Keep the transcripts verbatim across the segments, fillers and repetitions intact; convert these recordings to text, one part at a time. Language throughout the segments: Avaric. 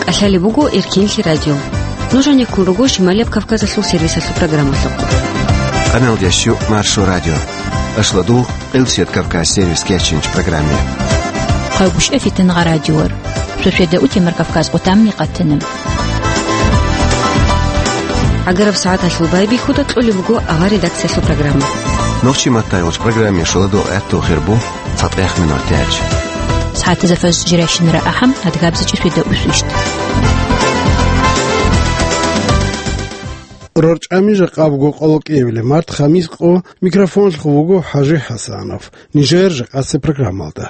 КӀалъалеб буго Эркенлъи радио. Нуж гьанеккун руго Шималияб Кавказалъул сервисалъул программалъухъ. Къаналдящу Маршо радио. Ашладул Къилсият Кавказ сервис кечинч программе. Хъайбушев Фитнагъа радиор. Сосведа утемар Кавказ къутамни къатана. ГӀагараб сагӀаталъул байбихьуда кьолеб буго авар редакциялъул программа. Нохчи маттайгъуч программе шоладул гӀаттул хирбу цатӀех минор тяч. СагӀатазафаз жиращинара ахӀам, адгабзачи светда усвищт. РорчӀами жакъа буго къоло кӀиабилеб март, хамис къо, микрофонлъ вуго ХӀажи ХӀасанов. Нижер жакъасе программалда.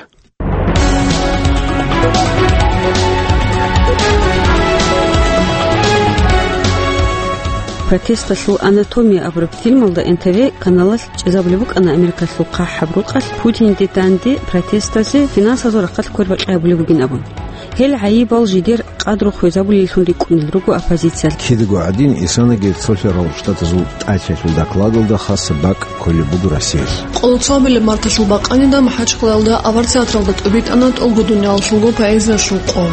Протесталъул анатомия абураб фильмалда Н Т В каналалъ чӀезабулеб букӀана Америкалъул хъахӀаб рукъалъ Путинде данде протестазе финансазул рахъалъ квербакьи гьабулеб бугин абун. Гьел гӀайибал жидер къадру хвезабулеллъун рикӀкӀунел руго оппозициялъ. Кидаго гӀадин, исанаги цолъарал штатазул тӀаталъул докладалда хасаб бакӀ кколеб буго Россиялъ. Къоло цоабилеб марталъул бакъанида МахӀачхъалаялда авар театралда тӀубитӀана тӀолго дуниялалъулго поэзиялъул къо.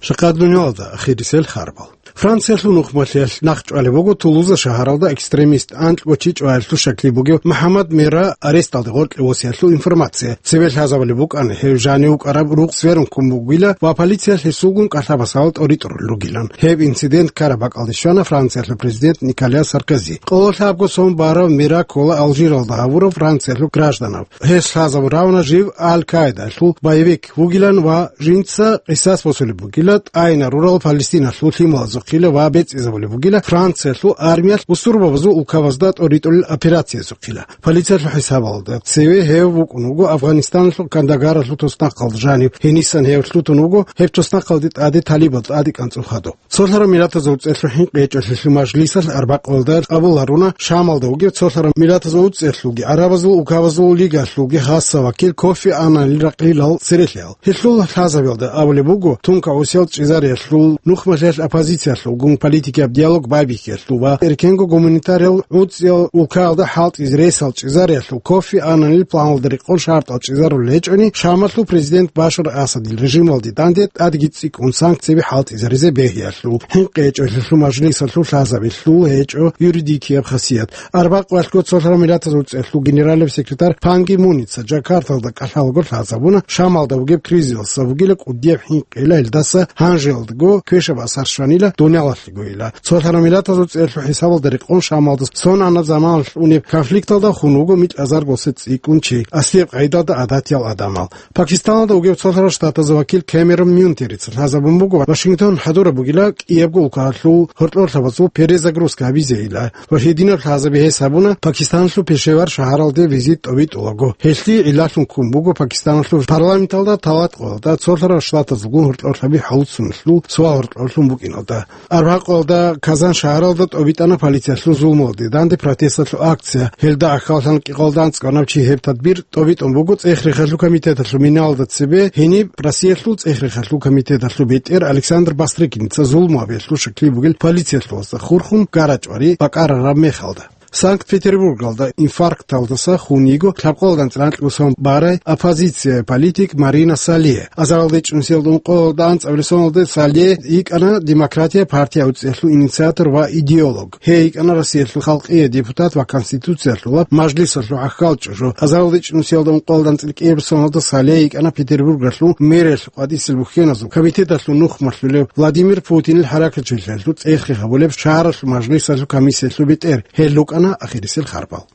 Жакъа дуниялалда ахирисел харбал. Франциялъул нухмалъиялъ нахъчӀвалеб буго Тулуза шагьаралда экстремист анкьго чи чӀваялъул щаклъи бугев МухӀаммад Мира аресталде гъоркье восиялъул информация. Цебе лъазабулеб букӀана гьев жанив вукӀараб рукъ сверун ккун бугила ва полициялъ гьесулгун кӀалъабасал тӀоритӀурулел ругилан. Гьеб инцидент ккараб бакӀалде щвана Франциялъул президент Николя Саркози. Къоло лъабго сон барав Мира ккола Алжиралда гьавурав Франциялъул гражданав. Гьес лъазабун равана жив Аль-Каидаялъул боевик вугилан ва жинца къисас босулеб бугила тӀайна рурал Палестиналъул лъималазухъила ва бецӀизабулеб бугила Франциялъул армиялъ бусурбабазул улкабазда тӀоритӀулел операциязухъила. Полициялъул хӀисабалда, цеве гьев вукӀун вуго Афганистаналъул Кандагаралъул туснахъалда жанив. Гьенисан гьев лъутун вуго гьеб туснахъалде тӀаде талибал тӀадекӀанцӀул хадуб. Цолъараб Миллатазул ГӀуцӀерлъул хӀинкъи гьечӀолъиялъул мажлисалъ арбакъуялда къабул гьаруна Шамалда вугев Цолъараб Миллатазул ГӀуцӀерлъулги ГӀарабазул Улкабазул Лигалъулги хасса вакил Кофи Аннанил ракьилал церелъиял. Гьелъул лъазабиялда абулеб буго, тункагӀусиял чӀезариялъул нухмалъиялъ оппозициялъулгун политикияб диалог байбихьиялъул ва эркенго гуманитариял гӀуцӀиял улкаялда хӀалтӀизе ресал чӀезариялъул Кофи Аннанил планалда рекъон шартӀал чӀезарулел гьечӀони, Шамалъул президент Башар Асадил режималде данде тӀадги цӀикӀкӀун санкцияби хӀалтӀизаризе бегьиялъул. ХӀинкъи гьечӀолъиялъул мажлисалъул лъазабилъул гьечӀо юридикияб хасият. Арбакъ валъго Цолъараб Миллатазул ГӀуцӀерлъул генералияб секретарь Пан Ги Муница Джакарталда кӀалъалаго лъазабуна, Шамалда бугеб кризисалъа бугила кӀудияб хӀинкъила, гьелдаса гьанжеялдаго квешаб асар щванила дуниялалъегойила. Цолъараб Миллатазул ГӀуцӀерлъул хӀисабалда рекъон Шамалда сонана заманалъ унеб конфликталда хун вуго микьазарго цӀикӀкӀун чи, аслияб къайдалда гӀадатиял адамал. Пакистаналда вугев Цолъарал Штатазул вакил Кэмерон Мюнтерица лъазабун буго, Вашингтон хӀадураб бугила кӀиябго улкалъул гьоркьорлъабазул перезагрузка гьабизейила ва гьединаб лъазаби гьес гьабуна Пакистаналъул Пешевар шагьаралде визит тӀобитӀулаго. Гьелъие гӀиллалъун ккун буго Пакистаналъул парламенталда талатӀкъоялда Цолъарал Штатазулгун гьоркьорлъаби хӀалуцуналъул суал гьоркьорлъун букӀиналда. Арбакъалда Казан шагьаралда тӀобитӀана полициялъул зулмалде данде протесталъул акция. Гьелда ахьаллъан кӀикъоялда анцӀгояб чи гьеб тадбир тӀобитӀун буго ЦӀех-рехалъул комитеталъул миналда цебе. Гьениб Россиялъул ЦӀех-рехалъул комитеталъул бетӀер Александр Бастрыкиница зулму гьабиялъул щаклъи бугел полициялъулазда хурхун гарачӀвари бакӀарараб мехалда. Санкт-Петербургалда инфаркталдаса хун йиго лъабкъоялда анцӀила анкьго сон барай оппозицияб политик Марина Сале. Азаралда ичӀнусиялда ункъоялда анцӀабилеб соналде Сале йикӀана Демократия партия гӀуцӀиялъул инициатор ва идеолог. Гьей йикӀана Россиялъул халкъияв депутат ва Конституциялъулаб мажлисалъул гӀахьал чӀужу. Азаралда ичӀнусиялда ункъоялда анцӀила кӀияб соналда Сале йикӀана Петербургалъул мэралъул къватӀисел бухьеназул комитеталъул нухмалъулев Владимир Путинил хӀаракатчилъиялъул цӀех-рех гьабулеб шагьаралъул мажлисалъул комиссиялъул бетӀер. Гьел рукӀана ахирисел харбал.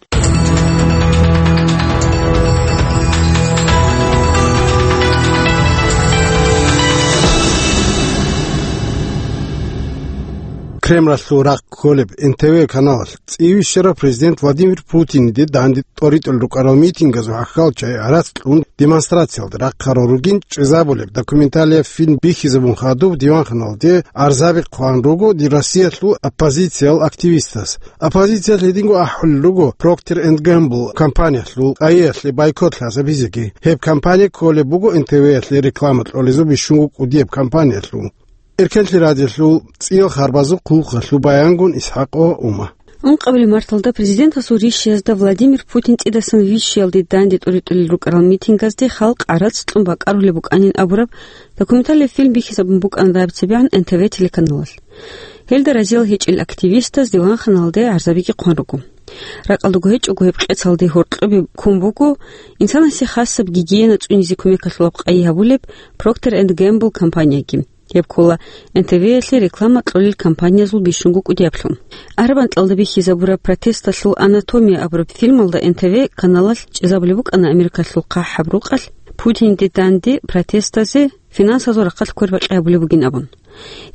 Кремлалъул рахъ кколеб Н Т В каналалъ цӀийищарав президент Владимир Путиниде данде тӀоритӀулел рукӀарал митингазул гӀахьал чагӀи гӀарац кьун демонстрациялда рахъарал ругин чӀезабулеб документалияб фильм бихьизабун хадуб диванханалде гӀарзаби хъван руго Россиялъул оппозициял активистас. Оппозициялъ гьединго ахӀулел руго Procter and Gamble компаниялъул къайиялъе бойкот лъазабизеги. Гьеб компания кколеб буго Н Т В-ялъе реклама кьолезул бищунго кӀудияб компаниялъул. Эркенлъи радиолъул цӀиял харбазул хъулухъалъул баянгун ИсхӀакъ ва Ума. Ункъабилеб марталда президентасул рищиязда Владимир Путин цӀидасан вищиялде данде тӀуритӀулел рукӀарал митингазде халкъ гӀарац кьун бакӀарулеб букӀанин абураб документалияб фильм бихьизабун букӀана дагьаб цебегӀан Н Т В телеканалалъ. Гьелда разиял гьечӀел активистаз диванханалде гӀарзабиги хъван руго. Ракъалдаго гьечӀого гьеб къецалде гьоркьобе ккун буго инсанасе хасаб гигиена цӀунизе кумекалъулаб къайи гьабулеб Procter and Gamble компанияги. Гьеб ккола Н Т В-ялъе реклама кьолел компаниязул бищунго кӀудияблъун. Арабанталда бихьизабураб «Протесталъул анатомия» абураб фильмалда Н Т В каналалъ чӀезабулеб букӀана Америкалъул хъахӀаб рукъалъ Путинде данде протестазе финансазул рахъалъ квербакьи гьабулеб бугин абун.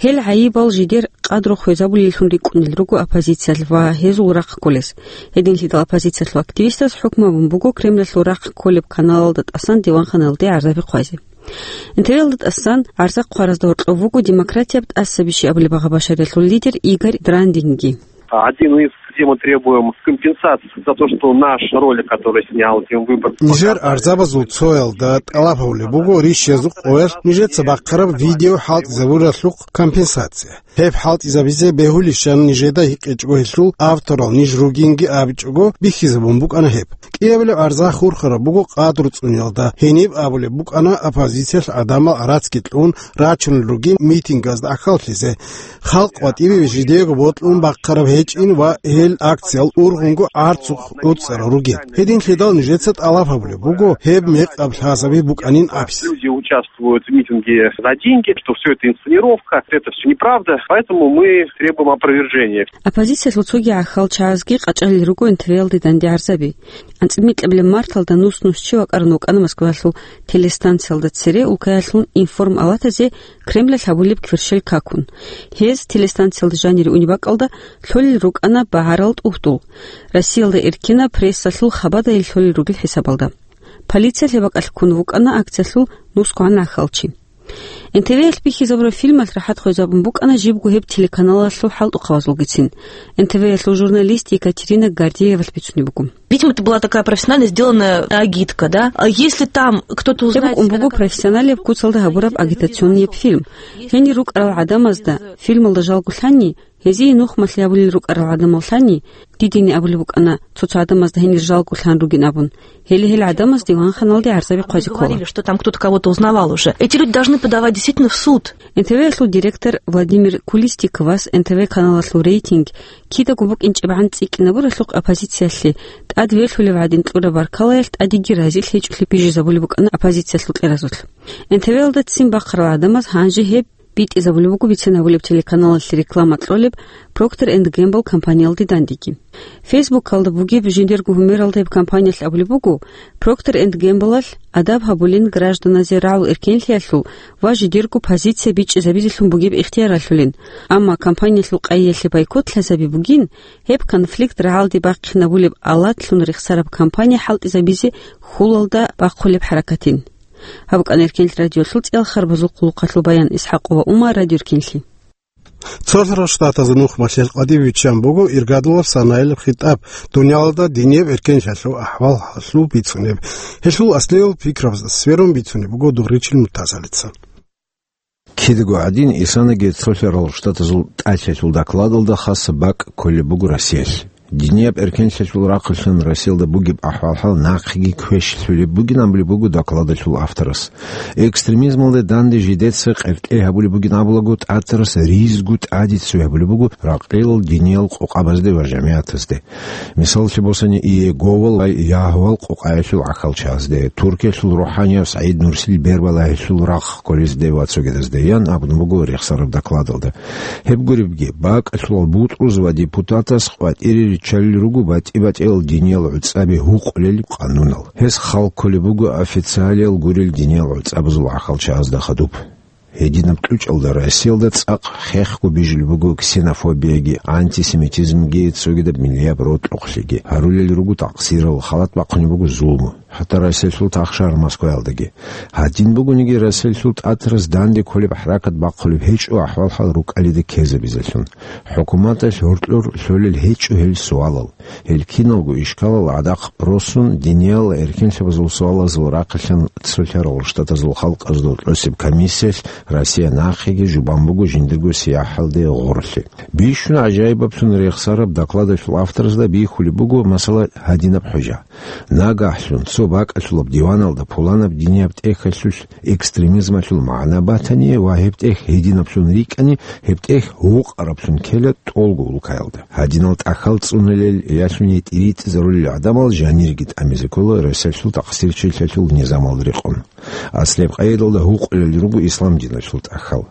Гьел гӀайибал жидер къадру хвезабулеллъун рикӀкӀунел руго оппозициялъ ва гьезул рахъ кколес. Гьединлъидал оппозициялъул активистаз хӀукму гьабун буго Кремлалъул рахъ кколеб каналалда тӀасан диванханалде гӀарзаби хъвазе. Н Т В-ялда тӀасан гӀарза хъваразда гьоркьов вуго демократияб тӀасабищи абулеб агъа-башариялъул лидер Игорь Драндинги. Один из, где мы требуем компенсации за то, что наш ролик, который снял Тим Выборг, Нижер показали. Арзабазул цоялда тӀалаб гьабулеб буго рищиязул къоялъ нижеца бахъараб видео хӀалтӀизабуралъухъ компенсация. Гьеб хӀалтӀизабизе бегьулищан нижеда гьикъичӀого гьелъул авторал ниж ругинги абичӀого бихьизабун букӀана гьеб. КӀиабилеб гӀарза хурхараб буго къадру цӀуниялда, гьениб абулеб букӀана оппозициялъ гӀадамал гӀарацги кьун рачунел ругин митингазда гӀахьаллъизе. Халкъ къватӀибе жидеего бокьун бахъараб гьечӀин ва гьел акциял ургъунго гӀарцухъ гӀуцӀарал ругин. Гьединлъидал нижеца тӀалаб гьабулеб буго гьеб мекъаб лъазаби букӀанин абизе. Люди участвуют в митинге за деньги, что всё это инсценировка, это всё неправда, поэтому мы требуем опровержения. Оппозициялъул цоги гӀахьалчагӀазги къачӀалел руго Н Т В-ялде данде гӀарзаби. АнцӀила микьабилеб марталда нус-нус чи вакӀарун вукӀана Москвалъул телестанциялда цере улкаялъул информалатазе Кремлалъ гьабулеб кверщел какун. Гьез телестанциялда жанире унеб бакӀалда лъолел рукӀана багьарал тӀугьдул, Россиялда эркенаб прессалъул хабадайл лъолел ругел хӀисабалда. Полициялъ гьеб бакӀалъ ккун вукӀана акциялъул нусгогӀан гӀахьалчи. Н Т В-ялъ бихьизабураб фильмалъ рахӀат хвезабун букӀана жибго гьеб телеканалалъул хӀалтӀухъабазулгицин. Н Т В-ялъул журналист Екатерина Гордеевалъ бицунеб буго. Видимо, это была такая профессионально сделанная агитка, да? А если там кто-то Гьеб узнает букӀун себя буго как профессионалияб куцалда гьабураб агитационнияб фильм. Гьенир рукӀарал гӀадамазда фильмалда жалго лъани, гьезие нухмалъи гьабулел рукӀарал гӀадамал лъани, дидеги абулеб букӀана цо-цо гӀадамазда гьенир жалго лъан ругин абун. Гьеле гьел гӀадамаз диванханалде гӀарзаби хъвазе ккола. Говорили, что там кто-то кого-то узнавал уже. Эти люди должны подавать действительно в суд. Н Т В-ялъул директор Владимир Кулистиковас Н Т В каналалъул рейтинг кидаго букӀинчӀебгӀан цӀикӀкӀинабуралъухъ оппозициялъе тӀад верлъулев гӀадин кьураб баркалаялъ тӀадеги разилъ гьечӀолъи бижизабулеб букӀана оппозициялъул кьеразулъ. Н Т В-ялда ццин бахъарал гӀадамаз гьанже гьеб битӀизабулеб буго бицин гьабулеб телеканалалъе реклама кьолеб Procter and Gamble компаниялде дандеги. Фейсбукалда бугеб жиндирго гьумералда гьеб компаниялъ абулеб буго, Procter and Gamble-алъ адаб гьабулин гражданазе рагӀул эркенлъиялъул ва жидерго позиция бичӀчӀизабизелъун бугеб ихтияр ралъулин. Амма компаниялъул къайиялъе бойкот лъазаби бугин, гьеб конфликт рагӀалде бахъинабулеб алатлъун рехсараб компания хӀалтӀизабизе хьулалда бахъулеб хӀаракатин. Гьаб букӀана Эркенлъи радиолъул цӀиял харбазул хъулухъалъул баян. ИсхӀакъова Умар, Радио Эркенлъи. Цолъарал Штатазул нухмалъиялъ къватӀибе биччан буго иргадулаб санаялъул хитӀаб, дуниялалда динияб эркенлъиялъул ахӀвалалъул бицунеб. Гьелъул аслияб пикрабазда сверун бицунеб буго Дугъричил Муртазалица. Кидаго гӀадин, исанаги Цолъарал Штатазул тӀалъиялъул докладалда хасаб бакӀ кколеб буго Россиялъ. Динияб эркенлъиялъул рахъалъан Россиялда бугеб ахӀвал-хӀал нахъеги квешлъулеб бугин абулеб буго докладалъул авторас. Экстремизмалде данде жидеца къеркьей гьабулеб бугин абулаго, тӀатарас ризгу тӀаде ццуй гьабулеб буго ракъилал диниял къокъабазде ва жамигӀатазде. Мисаллъи босани, Иеговал ва Ягьвал къокъаялъул гӀахьалчагӀазде, Туркиялъул рухӀанияб СагӀид Нурсил Бербалагьилъул рахъ кколезде ва цогидазде, ян абун буго рехсараб докладалда. Гьеб гуребги, бакӀалъулал бутӀруз ва депутатас къватӀире риччалел руго батӀи-батӀиял диниял гӀуцӀаби гьукъулел къанунал. Гьес хал кколеб буго официалиял гурел диниял гӀуцӀабазул гӀахьалчагӀазда хадуб. Гьединаб кьучӀалда Россиялда цӀакъ хехго бижулеб буго ксенофобияги, антисемитизмги, цогидаб миллияб рокьукълъиги. Гьарулел руго такъсирал, халат бахъунеб буго зулму. хӀатта Россиялъул тахшагьар Москваялдаги. Гьадин бугониги, Россиялъул тӀатарас данде кколеб хӀаракат бахъулеб гьечӀо ахӀвал-хӀал рукӀалида ккезабизелъун. ХӀукуматалъ гьоркьор лъолел гьечӀо гьел суалал. Гьел киналго ишкалал гӀадахъ росун, диниял эркенлъабазул суалазул рахъалъан цолъарал штатазул халкъазул тӀосеб комиссиялъ Россия нахъеги жубан буго жиндирго сияхӀалде гъорлъи. Бищун гӀажаибаблъун рехсараб докладалъул авторазда бихьулеб буго, масала, гьадинаб хӀужа. Нагагьлъун цо бакӀалъулаб диваналда пуланаб динияб тӀехьалъулъ экстремизмалъул магӀна батани ва гьеб тӀехь гьединаблъун рикӀкӀани, гьеб тӀехь гьукъараблъун ккела тӀолго улкаялда. Гьадинал тӀахьал цӀунулел ялъуни тӀиритӀизарулел гӀадамал жанирги тӀамизе ккола Россиялъул тахсирчилъалъул низамалда рекъон. Аслияб къайдалда гьукъулел руго ислам диналъул тӀахьал.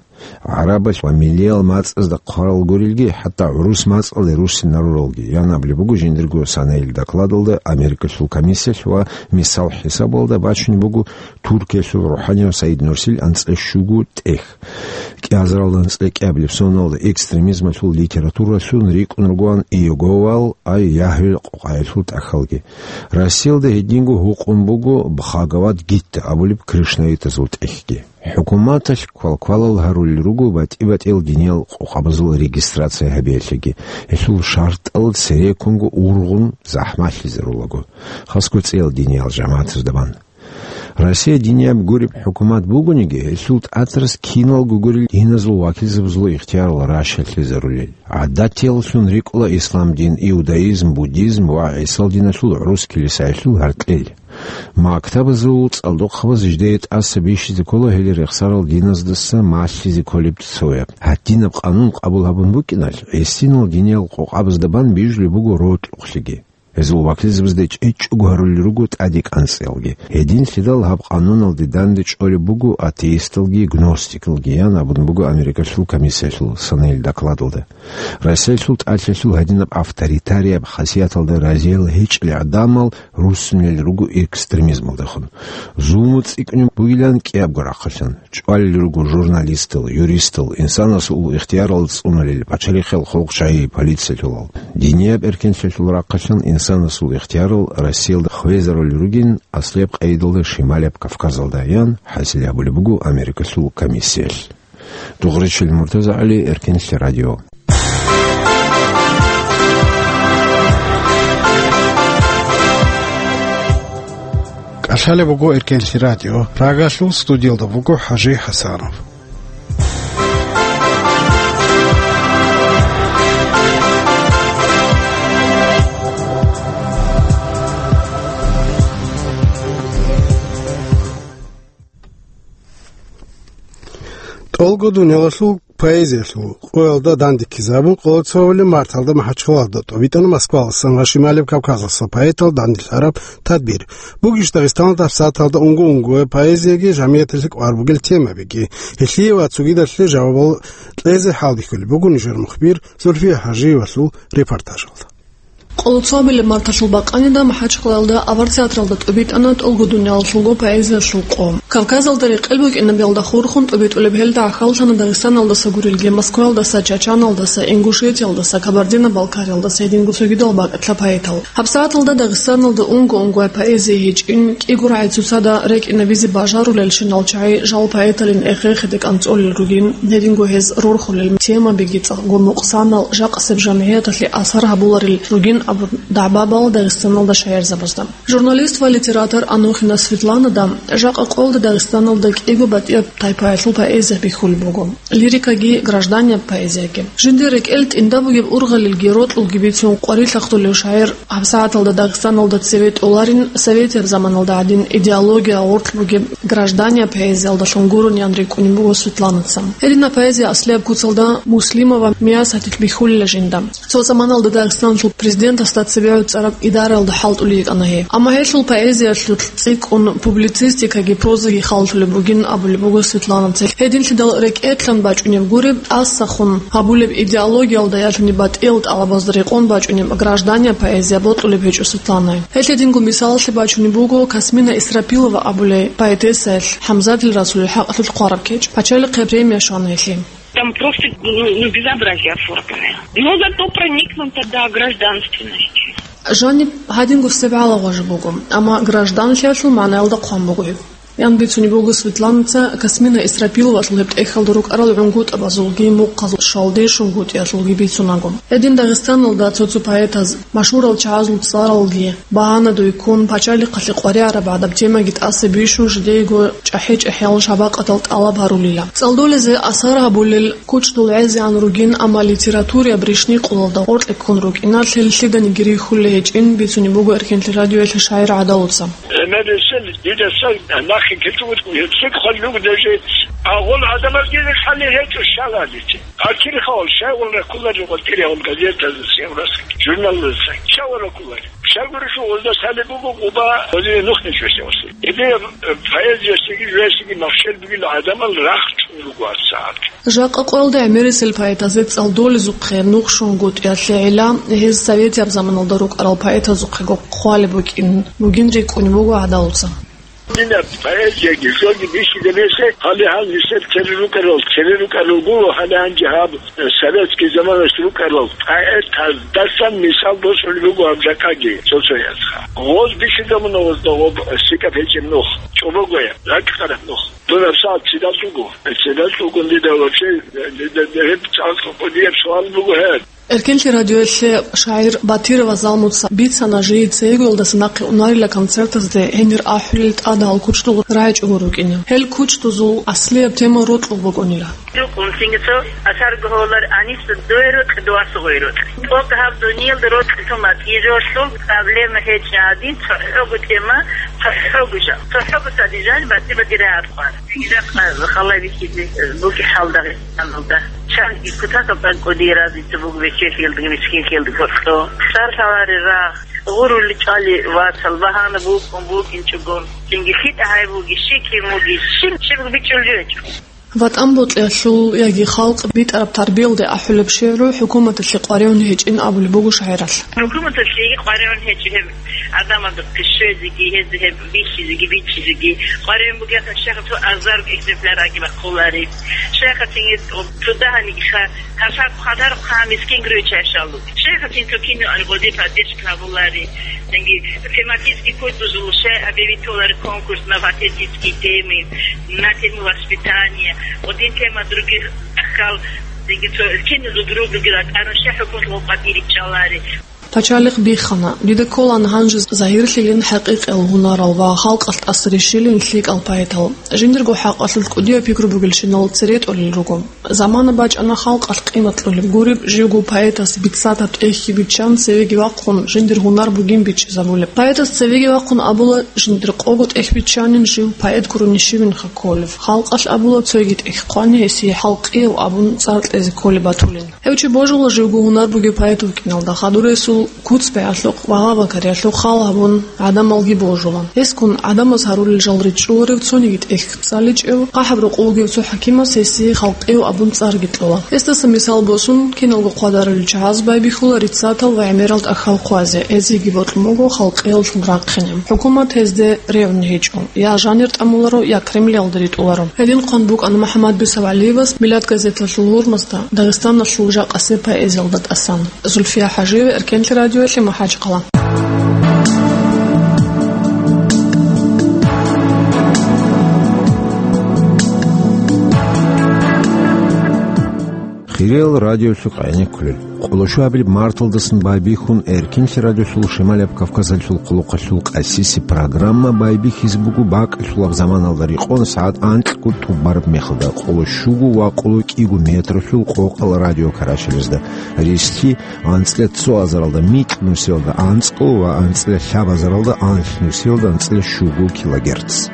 ГӀарабал ва миллиял мацӀазда хъварал гурелги, хӀатта гӀурус мацӀалде руссинаруралги, ян абулеб буго жиндирго санаил докладалда Америкалъул комиссиялъ ва мисал хӀисабалда бачунеб буго Туркиялъул рухӀанияв Саид Нурсил анцӀа щуго тӀехь. КӀиазаралда анцӀа кӀиабилеб соналда экстремизмалъул литературалъун рикӀкӀун ругоан Иеговал ай Ягьвел къокъаялъул тӀахьалги. Россиялда гьединго гьукъун буго Бхагавад-гитта абулеб кришнаитазул тӀехьги. ХӀукуматалъ квалквалал гьарулел руго батӀи-батӀиял диниял къокъабазул регистрация гьабиялъеги, гьелъул шартӀал цереккунго ургъун захӀмалъизарулаго, хасго цӀиял диниял жамагӀатазда бан. Россия динияб гуреб хӀукумат бугониги, гьелъул тӀатарас киналго гурел диназул вакилзабазул ихтиярал ращалъизарулел. ГӀадатияллъун рикӀкӀула ислам дин, иудаизм, буддизм ва ГӀисал диналъул гӀурус килисаялъул гьаркьел. Мактабазул цӀалдохъабаз жидее тӀаса бищизе ккола гьел рехсарал диназдаса малъизе кколеб цояб. Гьадинаб къанун къабул гьабун букӀиналъ, гӀисинал диниял къокъабазда бан бижулеб буго рокьухълъиги. Гьезул вакилзабазда чӀечӀого гьарулел руго тӀаде кӀанцӀиялги. Гьединлъидал гьаб къануналде данде чӀолеб буго атеисталги гностикалги, ян абун буго Америкалъул комиссиялъул санаил докладалда. Россиялъул тӀалъалъул гьадинаб авторитарияб хасияталда разиял гьечӀел гӀадамал руссунел руго экстремизмалдехун. Зулму цӀикӀкӀунеб бугилан кӀиябго рахъалъан. ЧӀвалел руго журналистал, юристал, инсанасул ихтиярал цӀунулел пачалихъал, хъулухъчагьи, полициялъулал. Динияб эркенлъиялъул рахъалъан инсанасул ихтиярал Россиялда хвезарулел ругин аслияб къайдалда Шималияб Кавказалда, ян хӀасил гьабулеб буго Америкалъул комиссиялъ. Дугъричил МуртазагӀали, Эркенлъи радио. КӀалъалеб буго Эркенлъи радио. Прагалъул студиялда буго ХӀажи ХӀасанов. ТӀолго дунялалъул поэзиялъул къоялда дандеккизабун, Къолоцовали марталда МахӀачхъалалда тӀобитӀана Москвалдасан ва Шималияб Кавказалъуса поэтал данделъараб тадбир. Бугищ Дагъистаналда гьабсагӀаталда унго-унгояб поэзияги жамигӀяталъе кӀвар бугел темабиги? Гьелъие ва цогидалъе жавабал кьезе хӀалбихьулеб буго нижер мухбир Зульфия ХӀажиевалъул репортажалда. Къолоцовабилеб марталъул бакъанида МахӀачхъалалда авар театралда тӀубитӀана тӀолго дунялалъулго поэзиялъул къо. Кавказалда рекъел букӀинабиялда хурхун тӀубитӀулеб гьелда гӀахьаллъана Дагъистаналдаса гурелги, Москваялдаса, Чачаналдаса, Ингушетиялдаса, Кабардино-Балкариялдаса гьединго цогидал бакӀалъа поэтал. ГьабсагӀаталда Дагъистаналда унго-унгояб поэзия гьечӀин, кӀиго рагӀи цоцазда рекӀинабизе бажарулелщинал чагӀи жал поэталин эхе-эхеде кӀанцӀолел ругин, гьединго гьез рорхулел темабиги цӀакъго мукъсанал жакъасеб жамгӀияталъе асар гьабуларел ругин абун дагӀба бала Дагъистаналда шагьарзабазда. Журналист ва литератор Анохина Светланада жакъа къоялда Дагъистаналда кӀиго батӀияб тайпаялъул поэзия бихьулеб буго. Лирикаги, гражданияб поэзияги. Жиндир рекӀел тӀинда бугеб ургъалилги рокьулги бицун къварилъахъулев шагӀир гьабсагӀаталда Дагъистаналда цеве тӀоларин, советияб заманалда гӀадин идеология гъоркь бугеб гражданияб поэзиялдалъун гурони ан рикӀкӀунеб буго Светланаца. Гьединаб поэзия аслияб куцалда Муслимова Миясатил бихьулила жинда. Цо заманалда Дагъистаналъул президентасда цебегӀуцӀараб идараялда хӀалтӀулей йикӀана гьей. Амма гьелъул поэзиялъулъ цӀикӀкӀун публицистикаги, прозаги халлъулеб бугин абулеб буго Светланаца. Гьединлъидал рекӀелъан бачӀунеб гуреб, тӀасахун гьабулеб идеологиялда ялъуни батӀиял тӀалабазда рекъон бачӀунеб граждания поэзия бокьулеб гьечӀо Светланае. Гьелъ гьединго мисалалъе бачунеб буго Касмина Исрапилова абулей поэтессаялъ ХӀамзатил Расулил хӀакъалъулъ хъвараб кечӀ, пачалихъе премия щвана гьелъие. Там просто, ну, ну, безобразие оформленное. Но зато проникнуто до гражданственности. Жаниб гьадинго сиб гӀалагъважа буго, амма гражданлъиялъул магӀнаялда хъван буго гьеб. Ян бицунеб буго Светланаца Касмина Исрапиловалъул гьеб тӀехьалда рукӀарал гӀунгутӀабазулги мухъазул щвалде шунгутӀиялъулги бицунаго. Гьедин Дагъистаналда цо-цо поэтаз, машгьурал чагӀазул цӀаралги багьанадуй ккун, пачалихъалъе къваригӀараб гӀадаб темаги тӀаса бищун жидеего чӀахӀи-чӀахӀиял шабакъатал тӀалаб гьарулила. ЦӀалдолезе асар гьабулел кучдул гӀезегӀан ругин, амма литератураяб ришни къулалда гъоркье ккун рукӀина, лъил лъиданиги рихьулей гьечӀин бицунеб буго Эркенлъи радиоялъе шагӀир ГӀадалуца. Гьебмерисел дида цо нахъе ккечӀого гьебсеб хъван буго даже, агъул гӀадамазги хӀалихьечӀо шагьаралъе. Акирхъавал шагьарал раккулари, гъотӀириявал газетазеца, журналазеца шагьарал раккулари. Шагьаралъул гъозда лъалеб буго Къуба гъозие нух нечӀолъиялъе. Гьеб поэзиясеги жугьесеги махщел бугел гӀадамал рахчун руго гьабсагӀат. Жакъа къоялда гӀемерисел поэтазе цӀалдолезухъе нух шунгутӀиялъе гӀела, гьез советияб заманалда рукӀарал поэтазухъего хъвалеб букӀин бугин рикӀкӀунеб буго ГӀадалуца. Динаб поэзияги жоги бихьизабизе гьале гьал нилъер цере рукӀарал, цере рукӀарал гуро гьале гьанже гьаб, э, советский заманалъ рукӀарал поэтаздасан мисал босулеб буго гьаб жакъаги цо-цоязха. Гъоз бихьизабуна гъозда гъоб лъикӀаб гьечӀеб нух, чӀобогояб, ракӀкъараб нух. Дун гьабсагӀат цидалъ вуго? Цидалъ вугун дида вообще, дида гьеб цӀакъ кӀудияб суал буго гьеб. Эркенлъи радиоялъе шагӀир Батирова Залмуца бицана, жий цейгоялдаса нахъе унарила концертазде гьенир ахӀулел тӀадал кучдул рагӀичӀого рукӀине. Гьел кучдузул аслияб тема рокьул букӀунила. Рукъун цинги цо асарго гьолар, Аниса, дуе рокь, дуаса гъой рокь. ТӀокӀ гьаб дуниялда рокь тумат, ижолъул проблема гьечӀ гьадин, цохӀого тема, цохӀого жал. ЦохӀого цадижан батӀи-батӀи рагӀад хъван. Жакъа халай бихьизе бугеб хӀал Дагъистаналда. Чанги кутакаб тӀад кӀудияб разница буго бечелъиялдаги мискинлъиялдаги гьоркьо. Сар лъалари рагъ, гъурулел чӀвали вацал, багьана букӀун букӀинчӀого. Цинги лъитӀа гьай буги, щикен буги, щиб-щиб бичӀчӀулеб гьечӀо. ВатӀан бокьиялъул яги халкъ битӀараб тарбиялде ахӀулеб шигӀру хӀукуматалъе къваригӀун гьечӀин абулеб буго шагӀиралъ. ХӀукуматалъеги къваригӀун гьечӀо гьеб гӀадамазухъе щвезеги, гьезда гьеб бихьизеги, бичизеги. КъваригӀун бугеха, щайха цо азарго экземпляр аги бахъулари. Щайха цинги цо дагьаниги ха, гьасаб хъадар хъа мискин греча шалу. Щайха цин цо кино ан гъоди поддержка гьабулари. Цинги тематический кучдузул щай гьабизе толари конкурс на патриотические темы, на тему воспитания. Один тема других ахкал, цинги цо кино друг других атарун щай хӀукумат гъоб къватӀире чӀалари. Пачалихъ биххана: «Дида кколаан гьанже загьирлъилин хӀакъикъиял гьунарал ва халкъалъ тӀаса рищилин лъикӀал поэтал. Жиндирго хӀакъалъулъ кӀудияб пикру бугелщинал цере тӀолел руго. Замана бачӀана халкъалъ къимат кьолеб гуреб, живго поэтас биццатаб тӀехьги биччан, цевеги вахъун, жиндир гьунар бугин бичӀчӀизабулеб. Поэтас цевеги вахъун абула, жиндир къого тӀехь биччанин, жив поэт гурони щивинха кколев. Халкъалъ абула, цоги тӀехь хъвани, гьесие халкъияв абун цӀар кьезе кколеб батулин». Гьев чи божула живго гьунар бугев поэт вукӀиналда, хадур гьесул куц-бегӀалъухъ ва гъабакариялъухъ хал гьабун, гӀадамалги божула. Гьескун гӀадамаз гьарулел жал ричӀчӀуларев, цониги тӀехь цӀаличӀев, хъахӀаб рокъов вугев цо хӀакимас гьесие халкъияв абун цӀарги кьола. Гьесдаса мисал босун, киналго хъвадарулел чагӀаз байбихьула риццатал ва гӀемерал тӀахьал хъвазе, гьезиеги бокьун буго халкъиялъул рахъине. ХӀукумат гьезде регӀун гьечӀо, я жанир тӀамуларо, я Кремльалда ритӀуларо. Гьедин хъван букӀана МухӀаммад БицевгӀалиевас «Миллат» газеталъул гьурмазда Дагъистаналъул жакъасеб поэзиялда тӀасан. Зульфия ХӀажиева, Эркенлъи радиоялъе, МахӀачхъала. Хириял радиолъухъ гӀенеккулел. Къоло щуабилеб марталдасан байбихьун, Эркенлъи радиолъул Шималияб Кавказалъул къулухъалъул къасиси программа байбихьизе буго бакӀалъулаб заманалда рекъон сагӀат анкьго тӀубараб мехалда, къоло щуго ва къоло кӀиго метралъул къокъал радиокарачалазда, рислъи анцӀила цо азаралда микь нусиялда анцӀго ва анцӀила лъаб азаралда анлъ нусиялда анцӀила щуго килогерц.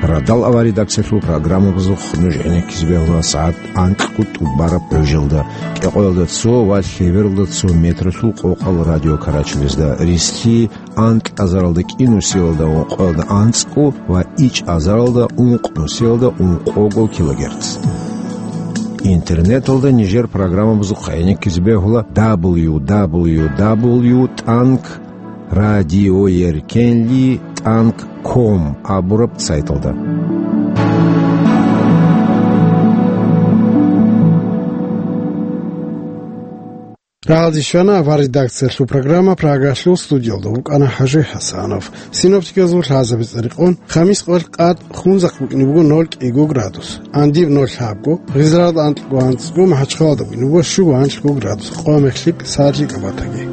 Радал авария редакциялъул программабазухъ нуж гӀенеккизе бегьула сагӀат анкьго тӀубараб гӀужалда, кӀикъоялда цо ва лъебералда цо метралъул къокъал радиокарачалазда, рислъи анкь азаралда кӀи нусиялда ункъоялда анцӀго ва ичӀ азаралда ункъ нусиялда ункъого килогерц. Интернеталда нижер программабазухъ гӀенеккизе бегьула дабл ю дабл ю дабл ю тӀанг радиоеркенли тӀанг ком абураб сайталда. Рагъалде щвана авар редакциялъул программа Прагалъул, студиялда вукӀана ХӀажи ХӀасанов. Синоптиказул лъазабица рекъон, хамис къоялъ къад Хунзахъ букӀине буго ноль кӀиго градус, Андиб ноль лъабго, Гъизралда анкьго анцӀго, МахӀачхъалада букӀине буго щуго анлъго градус, къо-мех лъикӀ садлъи кӀабатаги.